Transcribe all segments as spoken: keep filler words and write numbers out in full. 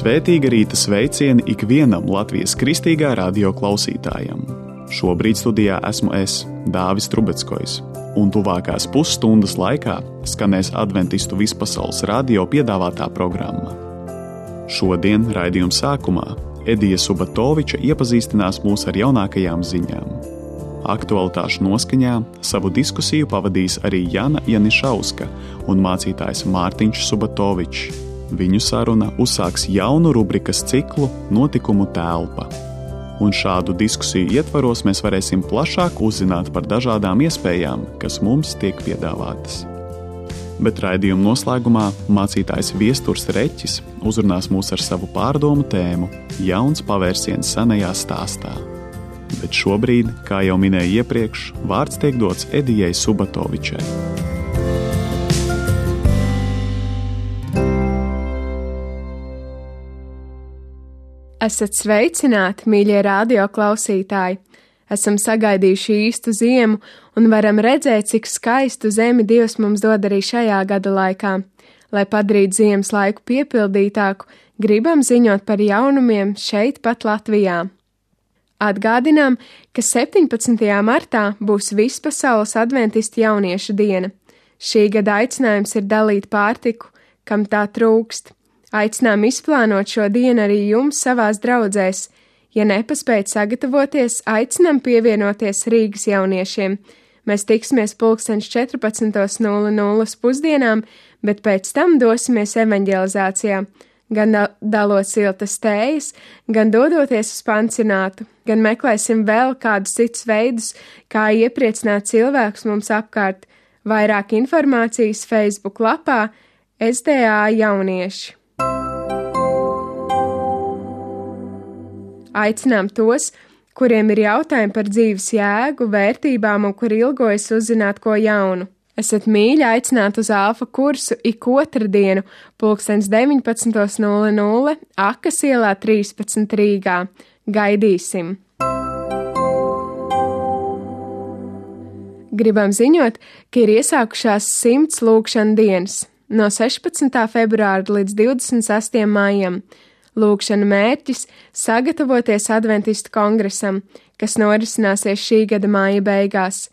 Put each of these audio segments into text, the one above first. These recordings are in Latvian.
Svētīga rīta sveicieni ikvienam Latvijas kristīgā radio klausītājam. Šobrīd studijā esmu es, Dāvis Trubeckojs, un tuvākās pusstundas laikā skanēs Adventistu vispasaules radio piedāvātā programma. Šodien raidījuma sākumā Edija Subatoviča iepazīstinās mūs ar jaunākajām ziņām. Aktualitāšu noskaņā savu diskusiju pavadīs arī Jana Janišauska un mācītājs Mārtiņš Subatovičs. Viņu saruna uzsāks jaunu rubrikas ciklu Notikumu telpa. Un šādu diskusiju ietvaros mēs varēsim plašāk uzzināt par dažādām iespējām, kas mums tiek piedāvātas. Bet raidījuma noslēgumā mācītājs Viesturs Reķis uzrunās mūs ar savu pārdomu tēmu Jauns pavērsiens senajā stāstā. Bet šobrīd, kā jau minēju iepriekš, vārds tiek dots Edijai Subatovičai. Esat sveicināti, mīļie radio klausītāji! Esam sagaidījuši īstu ziemu un varam redzēt, cik skaistu zemi Dievs mums dod arī šajā gada laikā. Lai padarītu ziemas laiku piepildītāku, gribam ziņot par jaunumiem šeit pat Latvijā. Atgādinām, ka septiņpadsmitajā martā būs vispasaules adventistu jauniešu diena. Šī gada aicinājums ir dalīt pārtiku, kam tā trūkst. Aicinām izplānot šo dienu arī jums savās draudzēs. Ja nepaspējat sagatavoties, aicinām pievienoties Rīgas jauniešiem. Mēs tiksimies pulkstens četrpadsmit nulle nulle pusdienām, bet pēc tam dosimies evaņģelizācijā. Gan dalot siltas tējas, gan dodoties uz pansionātu, gan meklēsim vēl kādus citus veidus, kā iepriecināt cilvēkus mums apkārt. Vairāk informācijas Facebook lapā S D A jaunieši. Aicinām tos, kuriem ir jautājumi par dzīves jēgu, vērtībām un kur ilgojas uzzināt ko jaunu. Esat mīļi aicināti uz alfa kursu ik otru dienu, pulkstens deviņpadsmit nulle nulle, Akas ielā trīspadsmit Rīgā. Gaidīsim! Gribam ziņot, ka ir iesākušās simts lūgšana dienas, no sešpadsmitā februāra līdz divdesmit sestajam maijam. Lūgšana mērķis – sagatavoties Adventistu kongresam, kas norisināsies šī gada māja beigās.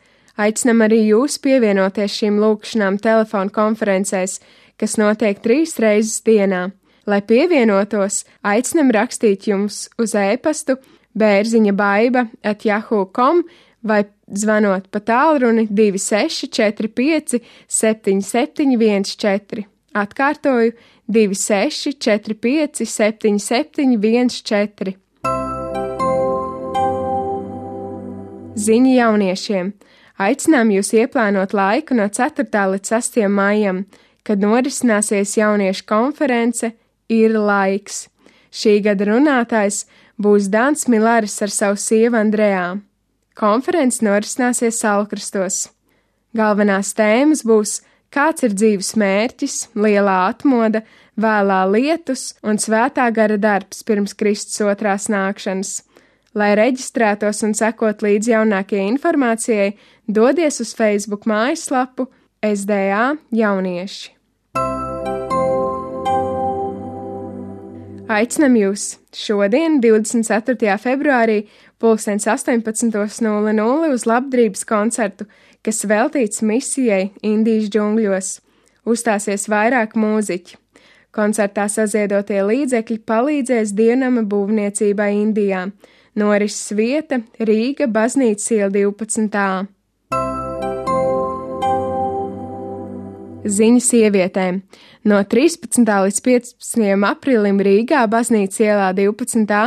Aicinam arī jūs pievienoties šīm lūgšanām telefonu konferencēs, kas notiek trīs reizes dienā. Lai pievienotos, aicinam rakstīt jums uz e-pastu bērziņa baiba at yahoo dot com vai zvanot pa tālruni divi seši četri pieci septiņi septiņi viens četri. Atkārtoju divi seši četri pieci septiņi septiņi viens četri. Ziņa jauniešiem. Aicinām jūs ieplānot laiku no ceturtā līdz sastajam maijam, kad norisināsies jauniešu konference Ir laiks. Šī gada runātājs būs Dans Milaris ar savu sievu Andrejā. Konference norisināsies Salkrastos. Galvenās tēmas būs kāds ir dzīves mērķis, lielā atmoda, vēlā lietus un svētā gara darbs pirms Kristus otrās nākšanas. Lai reģistrētos un sekot līdz jaunākajai informācijai, dodies uz Facebook mājaslapu S D A jaunieši. Aicinam jūs šodien, divdesmit ceturtajā februārī, pulkstens astoņpadsmit nulle nulle uz labdarības koncertu, kas veltīts misijai Indijas džungļos. Uzstāsies vairāk mūziķi. Koncertā saziedotie līdzekļi palīdzēs dievnama būvniecībai Indijā. Norises vieta Rīga, Baznīcas iela divpadsmit A. Ziņa sievietēm. No trīspadsmitā līdz piecpadsmitajam aprīlim Rīgā, Baznīcas ielā divpadsmit A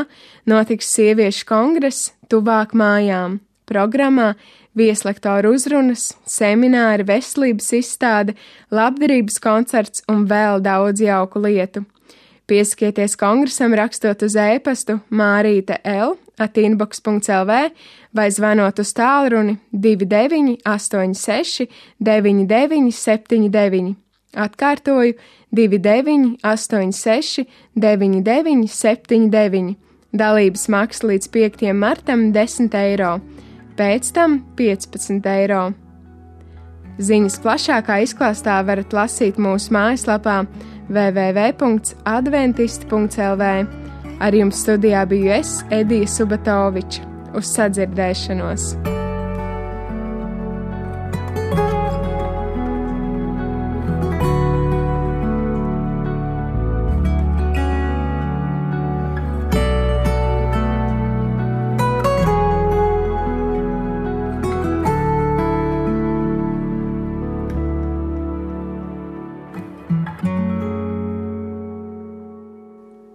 notiks sieviešu kongress Tuvāk mājām. Programmā vieslektoru uzrunas, semināri, veselības izstāde, labdarības koncerts un vēl daudz jauku lietu. Pieskieties kongresam rakstot uz e-pastu mārīte l at inbox punkt l v vai zvanot uz tālruni divi deviņi astoņi seši deviņi deviņi septiņi deviņi. Atkārtoju divi deviņi astoņi seši deviņi deviņi septiņi deviņi. Dalības maksa līdz piektajam martam desmit eiro. Pēc tam piecpadsmit eiro. Ziņas plašākā izklāstā varat lasīt mūsu mājaslapā w w w punkts adventisti punkts l v. Ar jums studijā biju es, Edija Subatoviča. Uz sadzirdēšanos!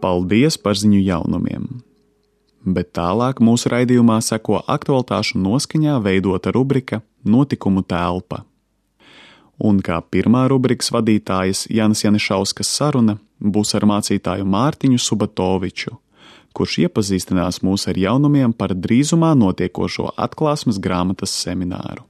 Paldies par ziņu jaunumiem! Bet tālāk mūsu raidījumā seko aktualitāšu noskaņā veidota rubrika Notikumu telpa. Un kā pirmā rubrikas vadītājas Jānis Janišauskas saruna būs ar mācītāju Mārtiņu Subatoviču, kurš iepazīstinās mūs ar jaunumiem par drīzumā notiekošo atklāsmes grāmatas semināru.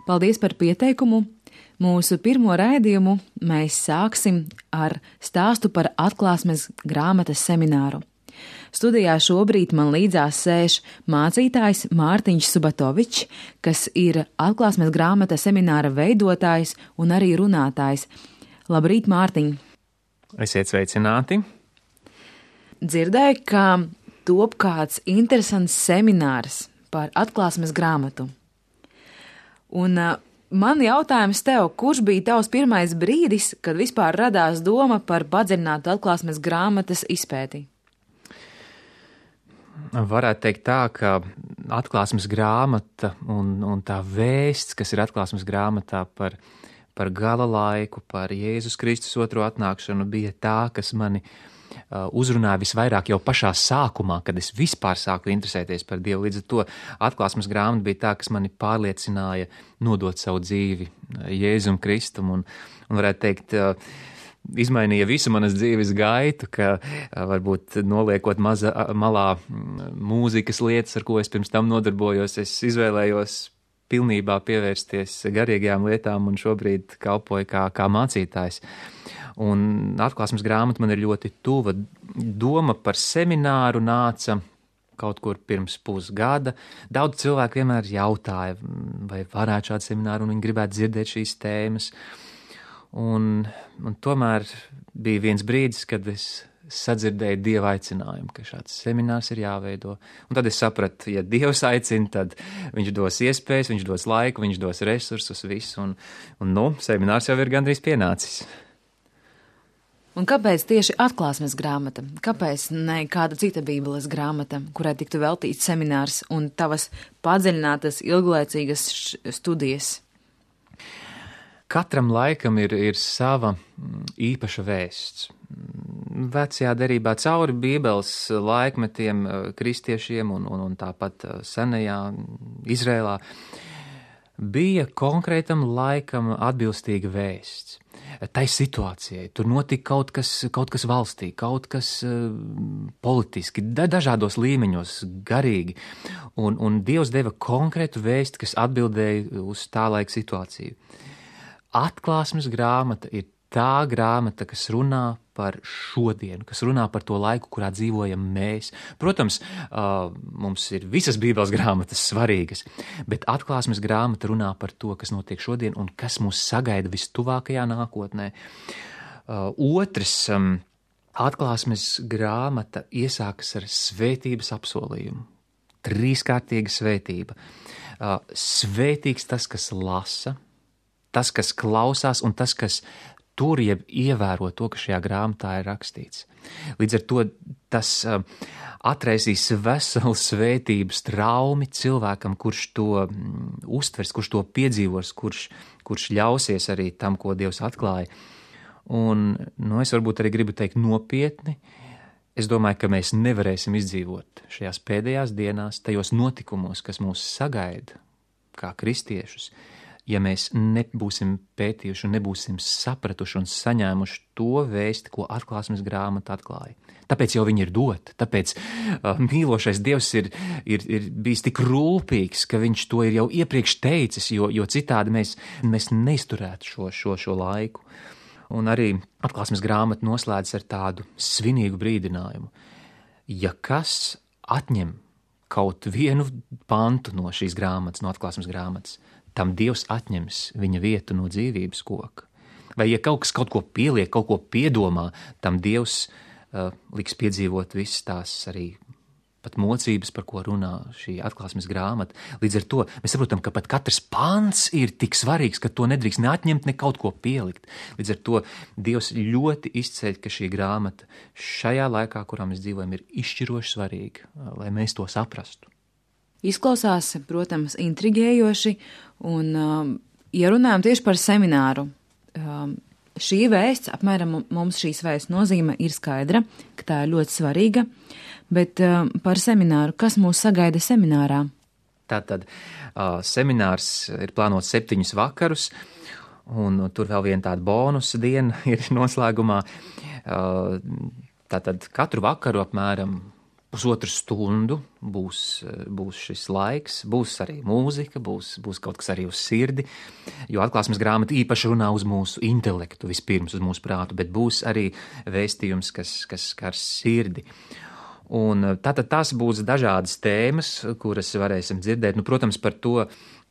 Paldies par pieteikumu! Mūsu pirmo raidījumu mēs sāksim ar stāstu par atklāsmes grāmatas semināru. Studijā šobrīd man līdzās sēž mācītājs Mārtiņš Subatovičs, kas ir atklāsmes grāmatas semināra veidotājs un arī runātājs. Labrīt, Mārtiņ! Esiet sveicināti! Dzirdēju, ka top kāds interesants seminārs par atklāsmes grāmatu. Un uh, man jautājums tev, kurš bija tavs pirmais brīdis, kad vispār radās doma par padziļinātu atklāsmes grāmatas izpēti? Varētu teikt tā, ka atklāsmes grāmata un, un tā vēsts, kas ir atklāsmes grāmatā par, par gala laiku, par Jēzus Kristus otro atnākšanu, bija tā, kas mani uh, uzrunāja visvairāk jau pašā sākumā, kad es vispār sāku interesēties par Dievu. Līdz ar to atklāsmes grāmata bija tā, kas mani pārliecināja nodot savu dzīvi Jēzum Kristum un, un varētu teikt, uh, izmainīja visu manas dzīves gaitu, ka varbūt noliekot maza, malā mūzikas lietas, ar ko es pirms tam nodarbojos, es izvēlējos pilnībā pievērsties garīgajām lietām un šobrīd kalpoju kā, kā mācītājs. Un atklāsmes grāmata man ir ļoti tuva. Doma par semināru nāca kaut kur pirms pusgada. Daudz cilvēku vienmēr jautāja, vai varētu šādu semināru, un viņi gribētu dzirdēt šīs tēmas. Un, un tomēr bija viens brīdis, kad es sadzirdēju Dieva aicinājumu, ka šāds seminārs ir jāveido. Un tad es sapratu, ja Dievs aicina, tad viņš dos iespējas, viņš dos laiku, viņš dos resursus, visu. Un, un nu, seminārs jau ir gandrīz pienācis. Un kāpēc tieši atklāsmes grāmata? Kāpēc ne kāda cita bībeles grāmata, kurai tiktu veltīts seminārs un tavas padziļinātas, ilglaicīgas studijas? Katram laikam ir, ir sava īpaša vēsts. Vecajā derībā cauri Bībeles laikmetiem kristiešiem un, un, un tāpat senajā Izrēlā bija konkrētam laikam atbilstīga vēsts. Tai situācijai, tur notika kaut kas, kaut kas valstī, kaut kas uh, politiski, da, dažādos līmeņos, garīgi, un, un Dievs deva konkrētu vēsti, kas atbildēja uz tā laika situāciju. Atklāsmes grāmata ir tā grāmata, kas runā par šodienu, kas runā par to laiku, kurā dzīvojam mēs. Protams, uh, mums ir visas Bībeles grāmatas svarīgas, bet atklāsmes grāmata runā par to, kas notiek šodien un kas mūs sagaida vistuvākajā nākotnē. Uh, otrs, um, atklāsmes grāmata iesākas ar svētības apsolījumu. Trīskārtīga svētība. Uh, svētīgs tas, kas lasa, tas, kas klausās un tas, kas tur jeb ievēro to, kas šajā grāmatā ir rakstīts. Līdz ar to tas uh, atraisīs veselu svētības traumi cilvēkam, kurš to mm, uztvers, kurš to piedzīvos, kurš, kurš ļausies arī tam, ko Dievs atklāja. Un nu, es varbūt arī gribu teikt nopietni, es domāju, ka mēs nevarēsim izdzīvot šajās pēdējās dienās, tajos notikumos, kas mūs sagaida kā kristiešus, ja mēs nebūsim pētījuši un nebūsim sapratuši un saņēmuši to vēsti, ko atklāsmes grāmata atklāja. Tāpēc jau viņi ir doti, tāpēc uh, mīlošais Dievs ir, ir, ir bijis tik rūpīgs, ka viņš to ir jau iepriekš teicis, jo, jo citādi mēs, mēs neizturētu šo, šo, šo laiku. Un arī atklāsmes grāmata noslēdz ar tādu svinīgu brīdinājumu. Ja kas atņem kaut vienu pantu no šīs grāmatas, no atklāsmes grāmatas, tam Dievs atņems viņa vietu no dzīvības koka. Vai ja kaut kas kaut ko pieliek, kaut ko piedomā, tam Dievs uh, liks piedzīvot visas tās arī pat mocības, par ko runā šī atklāsmes grāmata. Līdz ar to mēs saprotam, ka pat katrs pants ir tik svarīgs, ka to nedrīkst ne atņemt, ne kaut ko pielikt. Līdz ar to Dievs ļoti izceļ, ka šī grāmata šajā laikā, kurā mēs dzīvojam, ir izšķiroši svarīga, lai mēs to saprastu. Izklausās, protams, intrigējoši, un, um, ja runājam tieši par semināru, um, šī vēsts, apmēram mums šīs vēsts nozīme ir skaidra, ka tā ir ļoti svarīga, bet um, par semināru, kas mūs sagaida seminārā? Tātad uh, seminārs ir plānots septiņus vakarus, un tur vēl viena tāda bonusa diena ir noslēgumā. Uh, tātad katru vakaru apmēram pusotru stundu būs, būs šis laiks, būs arī mūzika, būs, būs kaut kas arī uz sirdi, jo atklāsmes grāmata īpaši runā uz mūsu intelektu vispirms, uz mūsu prātu, bet būs arī vēstījums, kas, kas skar sirdi. Un tātad tās būs dažādas tēmas, kuras varēsim dzirdēt. Nu, protams, par to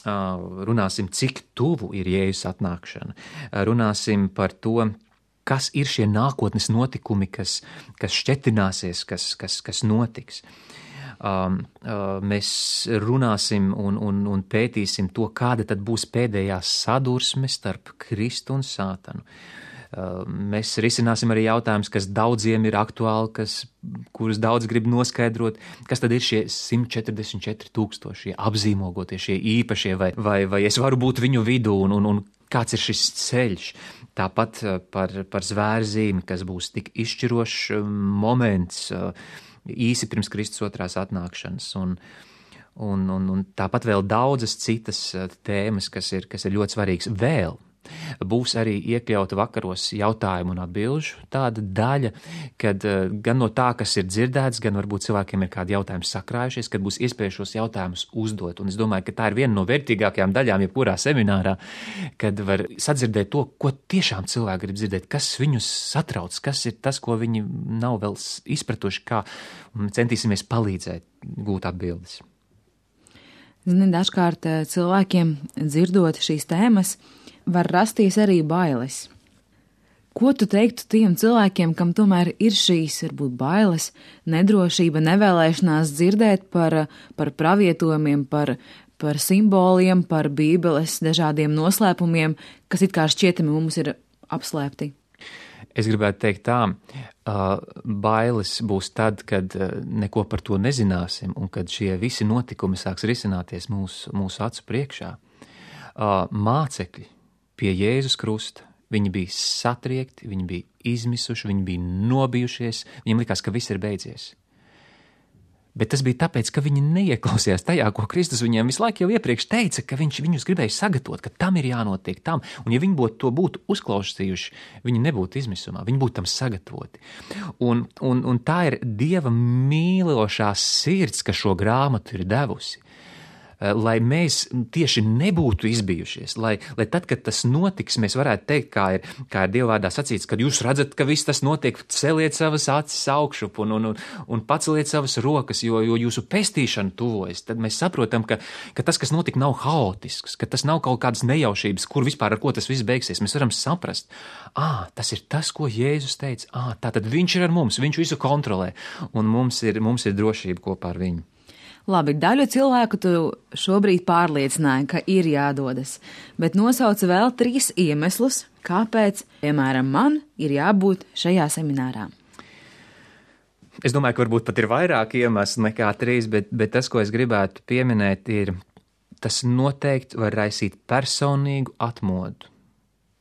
runāsim, cik tuvu ir Jēzus atnākšana. Runāsim par to, kas ir šie nākotnes notikumi, kas, kas šķetināsies, kas, kas, kas notiks. Um, uh, mēs runāsim un, un, un pētīsim to, kāda tad būs pēdējā sadursme starp Kristu un Sātanu. Uh, mēs risināsim arī jautājumus, kas daudziem ir aktuāli, kas, kurus daudz grib noskaidrot, kas tad ir šie simt četrdesmit četri tūkstošie apzīmogotie, šie īpašie, vai, vai, vai es varu būt viņu vidū, un, un, un kāds ir šis ceļš. Tāpat par, par zvērzīmi, kas būs tik izšķirošs moments īsi pirms Kristus otrās atnākšanas, un, un, un, un tāpat vēl daudzas citas tēmas, kas ir, kas ir ļoti svarīgas vēl. Būs arī iekļauta vakaros jautājumu un atbilžu tāda daļa, kad gan no tā, kas ir dzirdēts, gan varbūt cilvēkiem ir kādi jautājumi sakrājušies, kad būs iespēja šos jautājumus uzdot. Un es domāju, ka tā ir viena no vērtīgākajām daļām jebkurā seminārā, kad var sadzirdēt to, ko tiešām cilvēki grib dzirdēt, kas viņus satrauc, kas ir tas, ko viņi nav vēl izpratuši, kā centīsimies palīdzēt gūt atbildes. Zini, dažkārt cilvēkiem dzirdot šīs tēmas, var rasties arī bailes. Ko tu teiktu tiem cilvēkiem, kam tomēr ir šīs, varbūt bailes, nedrošība, nevēlēšanās dzirdēt par, par pravietojumiem, par, par simboliem, par Bībeles dažādiem noslēpumiem, kas it kā šķietami mums ir apslēpti? Es gribētu teikt tā, bailes būs tad, kad neko par to nezināsim un kad šie visi notikumi sāks risināties mūsu, mūsu acu priekšā. Mācekļi pie Jēzus krusta, viņi bija satriekti, viņi bija izmisuši, viņi bija nobijušies, viņiem likās, ka viss ir beidzies. Bet tas bija tāpēc, ka viņi neieklausījās tajā, ko Kristus viņiem visu laiku jau iepriekš teica, ka viņš viņus gribēja sagatavot, ka tam ir jānotiek tam, un ja viņi būtu to būtu uzklausījuši, viņi nebūtu izmisumā, viņi būtu tam sagatavoti. Un, un, un tā ir Dieva mīlošā sirds, kas šo grāmatu ir devusi. Lai mēs tieši nebūtu izbijušies, lai, lai tad, kad tas notiks, mēs varētu teikt, kā ir, kā ir Dieva vārdā sacīts, kad jūs redzat, ka viss tas notiek, celiet savas acis augšup un, un, un, un paceliet savas rokas, jo, jo jūsu pestīšana tuvojas. Tad mēs saprotam, ka, ka tas, kas notika, nav haotisks, ka tas nav kaut kādas nejaušības, kur vispār ar ko tas viss beigsies. Mēs varam saprast, ā, tas ir tas, ko Jēzus teica, ā, tātad viņš ir ar mums, viņš visu kontrolē, un mums ir, mums ir drošība kopā ar viņu. Labi, daļu cilvēku tu šobrīd pārliecināji, ka ir jādodas, bet nosauc vēl trīs iemeslus, kāpēc, piemēram, man ir jābūt šajā seminārā. Es domāju, ka varbūt pat ir vairāk iemeslu nekā trīs, bet, bet tas, ko es gribētu pieminēt, ir, tas noteikti var raisīt personīgu atmodu,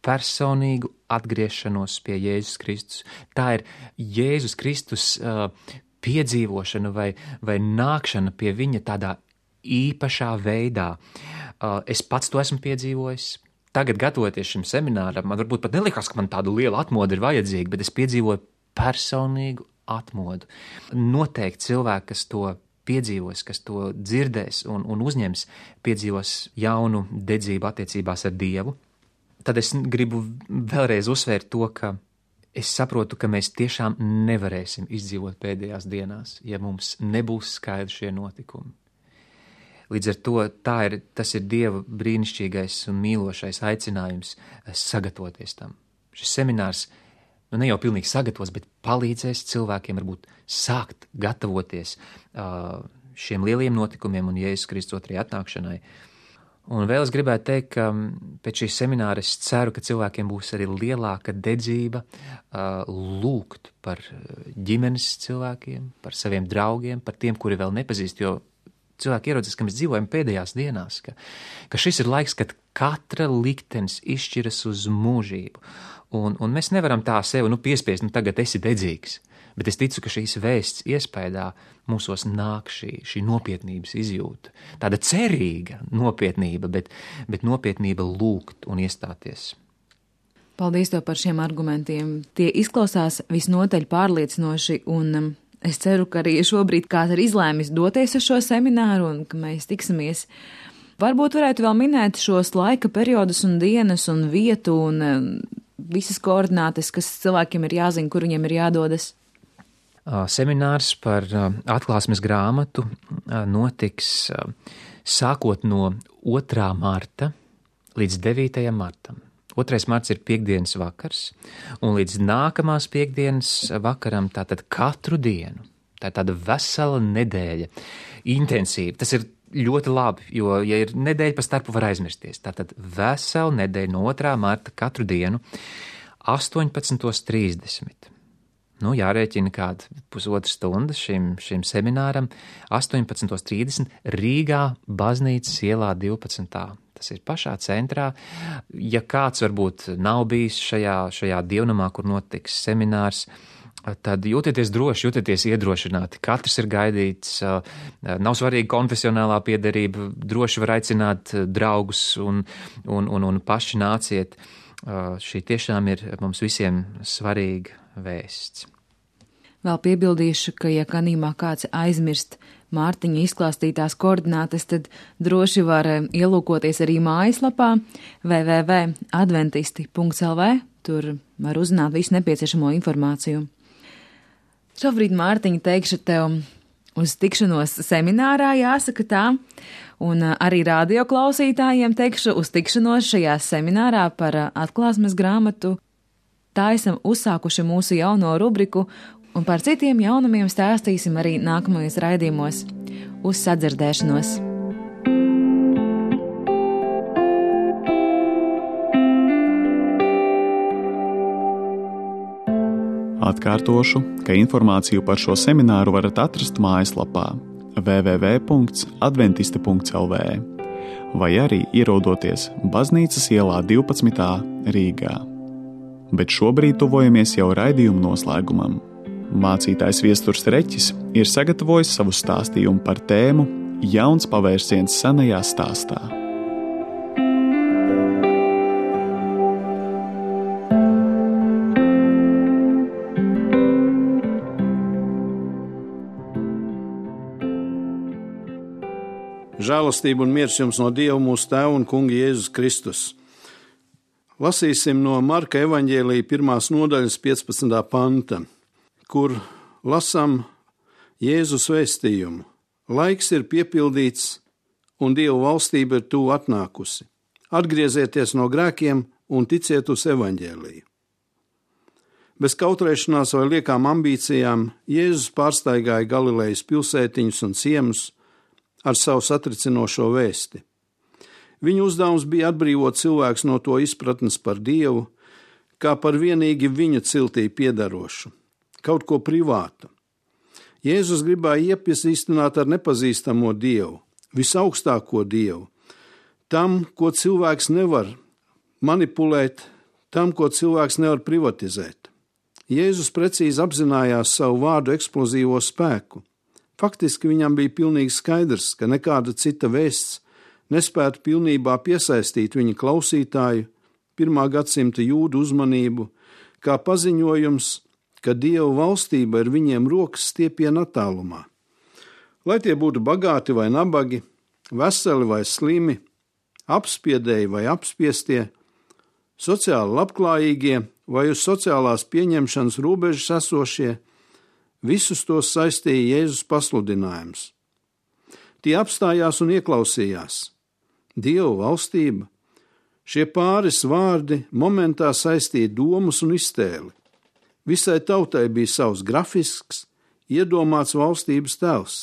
personīgu atgriešanos pie Jēzus Kristus. Tā ir Jēzus Kristus uh, piedzīvošana vai, vai nākšana pie viņa tādā īpašā veidā. Es pats to esmu piedzīvojis. Tagad, gatavoties šim semināram, man varbūt pat nelikās, ka man tāda liela atmoda ir vajadzīga, bet es piedzīvoju personīgu atmodu. Noteikti cilvēki, kas to piedzīvos, kas to dzirdēs un, un uzņems, piedzīvos jaunu dedzību attiecībās ar Dievu. Tad es gribu vēlreiz uzsvērt to, ka es saprotu, ka mēs tiešām nevarēsim izdzīvot pēdējās dienās, ja mums nebūs skaidri šie notikumi. Līdz ar to tā ir, tas ir Dieva brīnišķīgais un mīlošais aicinājums sagatavoties tam. Šis seminārs nu ne jau pilnīgi sagatavos, bet palīdzēs cilvēkiem varbūt sākt gatavoties uh, šiem lieliem notikumiem un Jēzus Kristus otrajai atnākšanai. Un vēl es gribētu teikt, ka pēc šīs semināra es ceru, ka cilvēkiem būs arī lielāka dedzība uh, lūgt par ģimenes cilvēkiem, par saviem draugiem, par tiem, kuri vēl nepazīst, jo cilvēki ieraudzīs, ka mēs dzīvojam pēdējās dienās, ka, ka šis ir laiks, kad katra liktenis izšķiras uz mūžību. Un, un mēs nevaram tā sevi nu, piespiest, nu tagad esi dedzīgs. Bet es ticu, ka šīs vēsts iespējā mūsos nāk šī, šī nopietnības izjūta. Tāda cerīga nopietnība, bet, bet nopietnība lūgt un iestāties. Paldies tev par šiem argumentiem. Tie izklausās visnotaļ pārliecinoši un es ceru, ka arī šobrīd kāds ir izlēmis doties uz šo semināru un ka mēs tiksimies. Varbūt varētu vēl minēt šos laika periodus un dienas un vietu un visas koordinātes, kas cilvēkiem ir jāzina, kur viņiem ir jādodas. Seminārs par atklāsmes grāmatu notiks sākot no otrā marta līdz devītajam martam. Otrais marts ir piekdienas vakars, un līdz nākamās piekdienas vakaram tātad katru dienu. Tā ir tāda vesela nedēļa, intensīva. Tas ir ļoti labi, jo, ja ir nedēļa pa starpu, var aizmirsties. Tātad vesela nedēļa no otrā marta katru dienu, astoņpadsmit trīsdesmit. Nu, jārēķina kāda pusotra stunda šim, šim semināram, astoņpadsmit trīsdesmit Rīgā, Baznīcas ielā divpadsmitā. Tas ir pašā centrā. Ja kāds varbūt nav bijis šajā, šajā dievnamā, kur notiks seminārs, tad jūtieties droši, jūtieties iedrošināti. Katrs ir gaidīts, nav svarīga konfesionālā piederība, droši var aicināt draugus un, un, un, un paši nāciet. Šī tiešām ir mums visiem svarīga vēsts. Vēl piebildīšu, ka, ja kanīmā kāds aizmirst Mārtiņa izklāstītās koordinātes, tad droši var ielūkoties arī mājaslapā w w w punkt adventisti punkt l v. Tur var uzzināt visu nepieciešamo informāciju. Šobrīd, Mārtiņa, teikšu tev uz tikšanos seminārā, jāsaka tā, un arī radio klausītājiem teikšu uz tikšanos šajā seminārā par atklāsmes grāmatu. Tā esam uzsākuši mūsu jauno rubriku, un par citiem jaunumiem stāstīsim arī nākamajos raidījumos. Uz sadzirdēšanos! Atkārtošu, ka informāciju par šo semināru varat atrast mājaslapā w w w punkt adventisti punkt l v vai arī ierodoties Baznīcas ielā divpadsmitā Rīgā. Bet šobrīd tuvojamies jau raidījuma noslēgumam. Mācītājs Viesturs Reķis ir sagatavojis savu stāstījumu par tēmu Jauns pavērsiens senajā stāstā. Žēlastība un miers jums no Dieva mūsu Tēva un Kunga Jēzus Kristus. Lasīsim no Marka evaņģēlija pirmās nodaļas piecpadsmitā panta, kur lasām Jēzus vēstījumu. Laiks ir piepildīts un Dieva valstība ir tuvu atnākusi. Atgriezieties no grēkiem un ticiet uz evaņģēliju. Bez kautrēšanās vai liekām ambīcijām Jēzus pārstaigāja Galilejas pilsētiņus un ciemus ar savu satricinošo vēsti. Viņa uzdevums bija atbrīvot cilvēks no to izpratnes par Dievu, kā par vienīgi viņa ciltī piedarošu, kaut ko privātu. Jēzus gribēja iepazīstināt ar nepazīstamo Dievu, visaugstāko Dievu, tam, ko cilvēks nevar manipulēt, tam, ko cilvēks nevar privatizēt. Jēzus precīzi apzinājās savu vārdu eksplozīvo spēku. Faktiski viņam bija pilnīgi skaidrs, ka nekāda cita vēsts nespētu pilnībā piesaistīt viņa klausītāju, pirmā gadsimta jūdu uzmanību, kā paziņojums, ka Dieva valstība ir viņiem rokas stiepiena attālumā. Lai tie būtu bagāti vai nabagi, veseli vai slimi, apspiedēji vai apspiestie, sociāli labklājīgie vai uz sociālās pieņemšanas robežas esošie, visus tos saistīja Jēzus pasludinājums. Tie apstājās un ieklausījās. Dieva valstība, šie pāris vārdi momentā saistīja domas un iztēli. Visai tautai bija savs grafisks, iedomāts valstības tēls.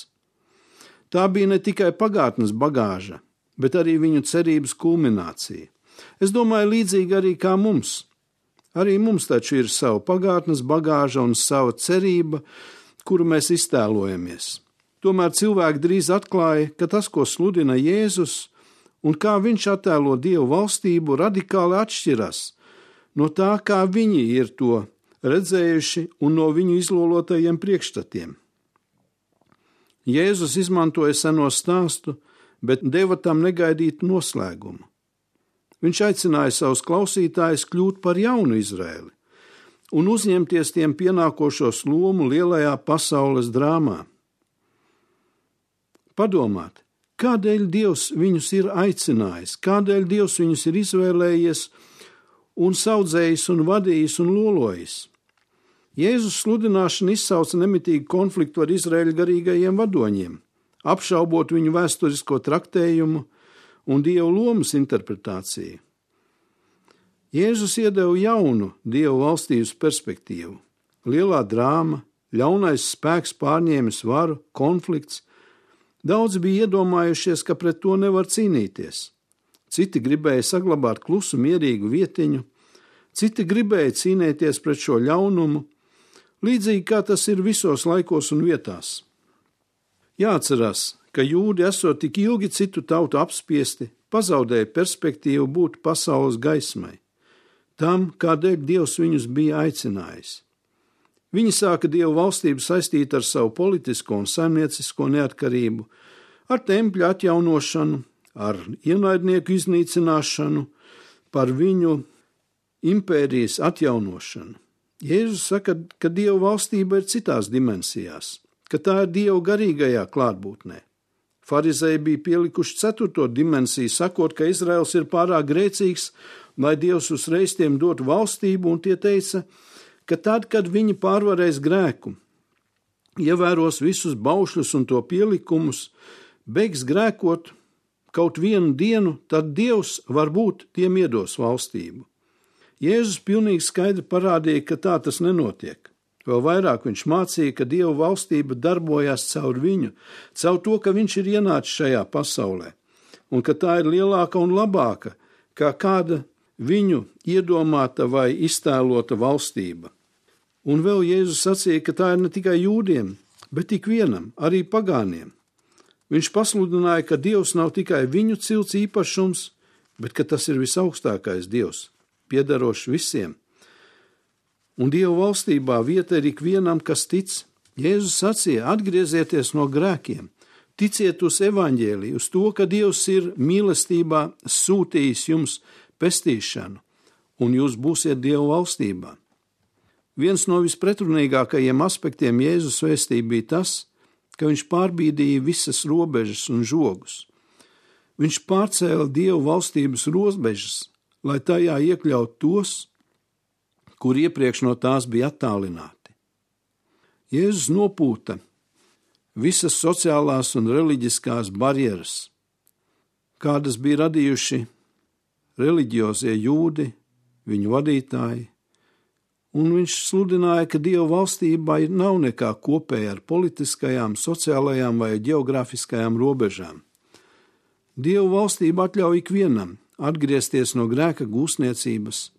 Tā bija ne tikai pagātnes bagāža, bet arī viņu cerības kulminācija. Es domāju, līdzīgi arī kā mums. Arī mums taču ir sava pagātnes bagāža un sava cerība, kuru mēs iztēlojamies. Tomēr cilvēki drīz atklāja, ka tas, ko sludina Jēzus, un kā viņš attēlo Dievu valstību, radikāli atšķiras no tā, kā viņi ir to redzējuši un no viņu izlolotajiem priekšstatiem. Jēzus izmantoja seno stāstu, bet deva tam negaidītu noslēgumu. Viņš aicināja savus klausītājus kļūt par jaunu Izraeli un uzņemties tiem pienākošos lomu lielajā pasaules drāmā. Padomāt, kādēļ Dievs viņus ir aicinājis, kādēļ Dievs viņus ir izvēlējies un saudzējis un vadījis un lolojis. Jēzus sludināšana izsauca nemitīgu konfliktu ar Izraēļa garīgajiem vadoņiem, apšaubot viņu vēsturisko traktējumu un Dieva lomas interpretāciju. Jēzus iedeva jaunu Dieva valstības perspektīvu. Lielā drāma, ļaunais spēks pārņēmis varu, konflikts. Daudz bija iedomājušies, ka pret to nevar cīnīties. Citi gribēja saglabāt klusu, mierīgu vietiņu, citi gribēja cīnīties pret šo ļaunumu, līdzīgi kā tas ir visos laikos un vietās. Jāatcerās, ka jūdi esot tik ilgi citu tautu apspiesti, pazaudēja perspektīvu būt pasaules gaismai, tam, kādēļ Dievs viņus bija aicinājis. Viņi sāka Dievu valstību saistīt ar savu politisko un saimniecisko neatkarību, ar tempļa atjaunošanu, ar ienaidnieku iznīcināšanu, par viņu impērijas atjaunošanu. Jēzus saka, ka Dieva valstība ir citās dimensijās, ka tā ir Dieva garīgajā klātbūtnē. Farizēji bija pielikuši ceturto dimensiju, sakot, ka Izraels ir pārāk grēcīgs, lai Dievs uzreiz tiem dotu valstību, un tie teica, ka tad, kad viņi pārvarēs grēku, ievēros visus baušļus un to pielikumus, beigs grēkot kaut vienu dienu, tad Dievs varbūt tiem iedos valstību. Jēzus pilnīgi skaidri parādīja, ka tā tas nenotiek. Vēl vairāk viņš mācīja, ka Dieva valstība darbojās caur viņu, caur to, ka viņš ir ienācis šajā pasaulē, un ka tā ir lielāka un labāka, kā kāda viņu iedomāta vai iztēlota valstība. Un vēl Jēzus sacīja, ka tā ir ne tikai jūdiem, bet ikvienam, arī pagāniem. Viņš pasludināja, ka Dievs nav tikai viņu cilts īpašums, bet ka tas ir visaugstākais Dievs, piederošs visiem. Un Dieva valstībā vieta ir ikvienam, kas tic. Jēzus sacīja, atgriezieties no grēkiem, ticiet uz evaņģēliju, uz to, ka Dievs ir mīlestībā sūtījis jums pestīšanu, un jūs būsiet Dieva valstībā. Viens no vispretrunīgākajiem aspektiem Jēzus vēstī bija tas, ka viņš pārbīdīja visas robežas un žogus. Viņš pārcēla Dieva valstības robežas, lai tajā iekļaut tos, kur iepriekš no tās bija attālināti. Jēzus nopūta visas sociālās un reliģiskās barjeras, kādas bija radījuši reliģiozie jūdi, viņu vadītāji, un viņš sludināja, ka Dieva valstībai nav nekā kopēja ar politiskajām, sociālajām vai geogrāfiskajām robežām. Dieva valstība atļauj ikvienam atgriezties no grēka gūstniecības,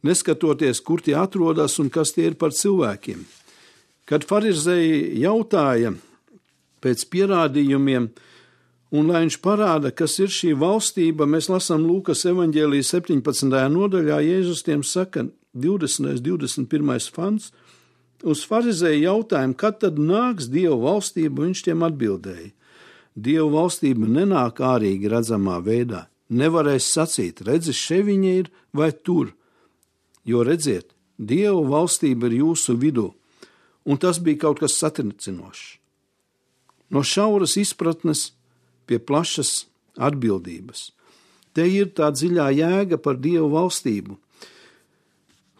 neskatoties, kur tie atrodas un kas tie ir par cilvēkiem. Kad farizēji jautāja pēc pierādījumiem, un lai viņš parāda, kas ir šī valstība, mēs lasām Lūkas evaņģēlija septiņpadsmitajā nodaļā, Jēzus tiem saka, divdesmitais, divdesmit pirmais pants, uz farizēju jautājumu, kad tad nāks Dieva valstība, viņš tiem atbildēja. Dieva valstība nenāk ārīgi redzamā veidā. Nevarēs sacīt, redzi, še viņa ir vai tur. Jo redziet, Dieva valstība ir jūsu vidū, un tas bija kaut kas satricinošs. No šauras izpratnes pie plašas atbildības. Te ir tā dziļā jēga par Dieva valstību.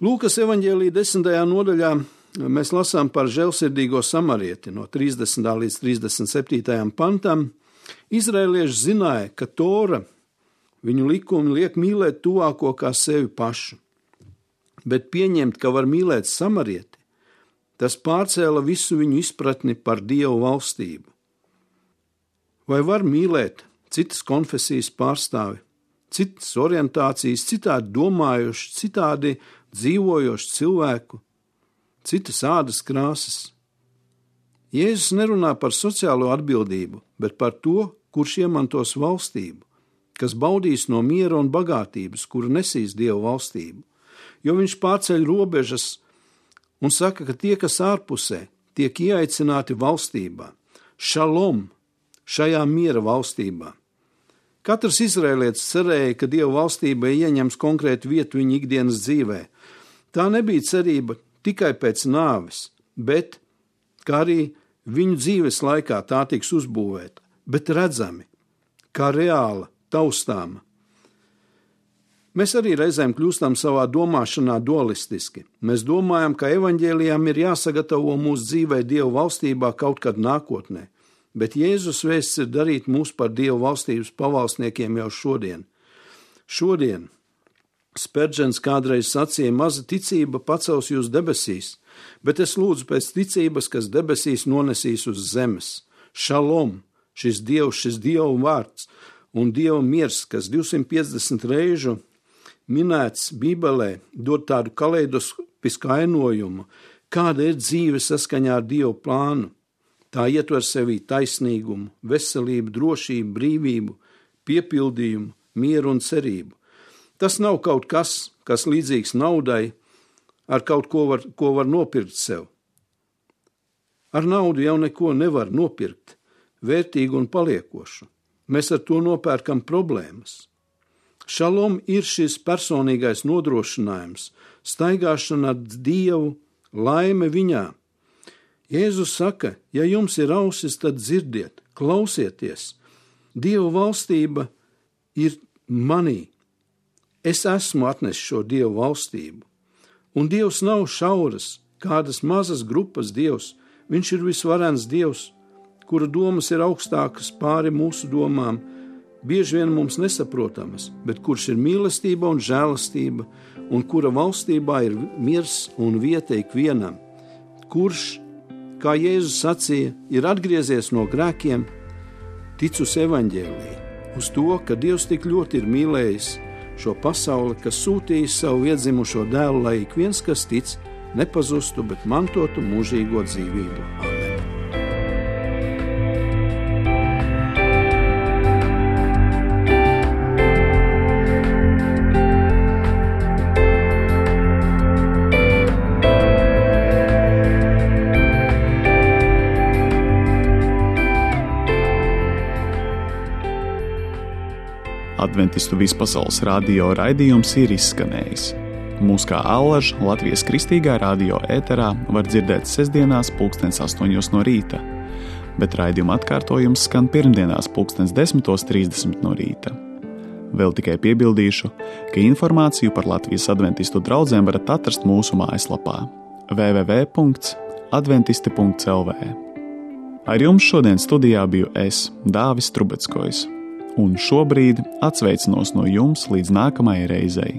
Lūkas evaņģēlija desmitajā nodaļā mēs lasām par žēlsirdīgo samarieti no trīsdesmitā līdz trīsdesmit septītajam pantam. Izraēlieši zināja, ka Tora, viņu likumi liek mīlēt tuvāko kā sevi pašu. Bet pieņemt, ka var mīlēt samarieti, tas pārcēla visu viņu izpratni par Dievu valstību. Vai var mīlēt citas konfesijas pārstāvi, citas orientācijas, citādi domājuši, citādi dzīvojoši cilvēku, citas ādas krāsas? Jēzus nerunā par sociālo atbildību, bet par to, kurš iemantos valstību, kas baudīs no miera un bagātības, kuru nesīs Dievu valstību. Jo viņš pārceļ robežas un saka, ka tie, kas ārpusē, tiek ieaicināti valstībā. Šalom, šajā miera valstībā. Katrs izrēlietis cerēja, ka Dieva valstība ieņems konkrētu vietu viņa ikdienas dzīvē. Tā nebija cerība tikai pēc nāves, bet, kā arī viņu dzīves laikā tā tiks uzbūvēta, bet redzami, kā reāla, taustāma. Mēs arī reizēm kļūstam savā domāšanā dualistiski. Mēs domājam, ka evaņģēlijām ir jāsagatavo mūsu dzīvē Dieva valstībā kaut kad nākotnē, bet Jēzus vēsts ir darīt mūs par Dieva valstības pavalsniekiem jau šodien. Šodien Spērģens kādreiz sacīja, maza ticība pacels jūs debesīs, bet es lūdzu pēc ticības, kas debesīs nonesīs uz zemes. Šalom, šis Dievs, šis Dieva vārds un Dieva miers, kas divsimt piecdesmit reižu minēts Bībelē, dod tādu kaleidoskopisku ainojumu, kāda ir dzīve saskaņā ar Dievu plānu. Tā ietver sevī taisnīgumu, veselību, drošību, brīvību, piepildījumu, mieru un cerību. Tas nav kaut kas, kas līdzīgs naudai, ar kaut ko var, ko var nopirkt sev. Ar naudu jau neko nevar nopirkt, vērtīgu un paliekošu. Mēs ar to nopērkam problēmas. Šalom ir šis personīgais nodrošinājums, staigāšana ar Dievu, laime viņā. Jēzus saka, ja jums ir ausis, tad dzirdiet, klausieties. Dieva valstība ir manī. Es esmu atnesis šo Dievu valstību. Un Dievs nav šauras, kādas mazas grupas Dievs. Viņš ir visvarens Dievs, kura domas ir augstākas pāri mūsu domām, bieži vien mums nesaprotamas, bet kurš ir mīlestība un žēlastība, un kura valstībā ir miers un vieta ikvienam, kurš, kā Jēzus sacīja, ir atgriezies no grēkiem, tic uz evaņģēliju, uz to, ka Dievs tik ļoti ir mīlējis šo pasauli, kas sūtījis savu iedzimušo dēlu, lai ik viens, kas tic, nepazustu, bet mantotu mūžīgo dzīvību. Amen. Adventistu vispasaules radio raidījums ir izskanējis. Mūs kā allaž Latvijas Kristīgā radio ēterā var dzirdēt sestdienās pulkstens astoņos no rīta, bet raidījuma atkārtojums skan pirmdienās pulkstens desmitos trīsdesmit no rīta. Vēl tikai piebildīšu, ka informāciju par Latvijas adventistu draudzīm varat atrast mūsu mājaslapā w w w punkts adventisti punkts l v. Ar jums šodien studijā biju es, Dāvis Trubeckojs. Un šobrīd atsveicinos no jums līdz nākamajai reizei.